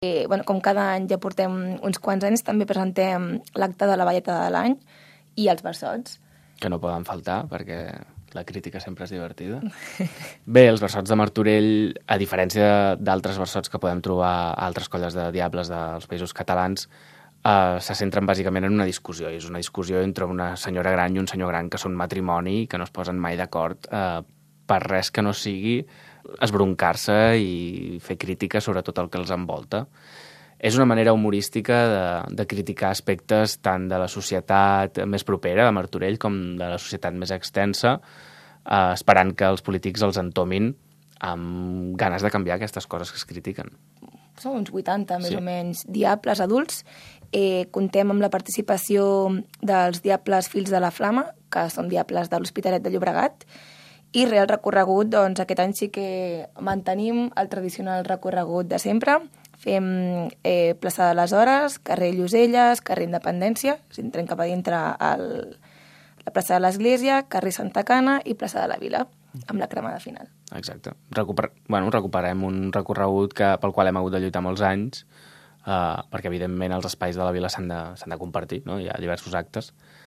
Com cada any ja portem uns quants anys, també presentem l'acte de la Valleta de l'any i els versots. Que no poden faltar, perquè la crítica sempre és divertida. Bé, els versots de Martorell, a diferència d'altres versots que podem trobar a altres colles de diables dels països catalans, se centren bàsicament en una discussió, i és una discussió entre una senyora gran i un senyor gran que són matrimoni i que no es posen mai d'acord per res que no sigui esbroncar-se i fer crítica sobre tot el que els envolta. És una manera humorística de criticar aspectes tant de la societat més propera de Martorell com de la societat més extensa, esperant que els polítics els entomin amb ganes de canviar aquestes coses que es critiquen. Som uns 80, més o menys, diables adults. Contem amb la participació dels diables Fills de la Flama, que són diables de l'Hospitalet de Llobregat, i Real Recorregut, doncs aquest any sí que mantenim el tradicional recorregut de sempre. Fem plaça de les Hores, carrer Lloselles, carrer Independència, entrem cap a dintre la plaça de l'Església, carrer Santa Cana i plaça de la Vila, amb la cremada final. Exacte. Recuperem un recorregut pel qual hem hagut de lluitar molts anys, perquè evidentment els espais de la vila s'han de compartir, no? Hi ha diversos actes,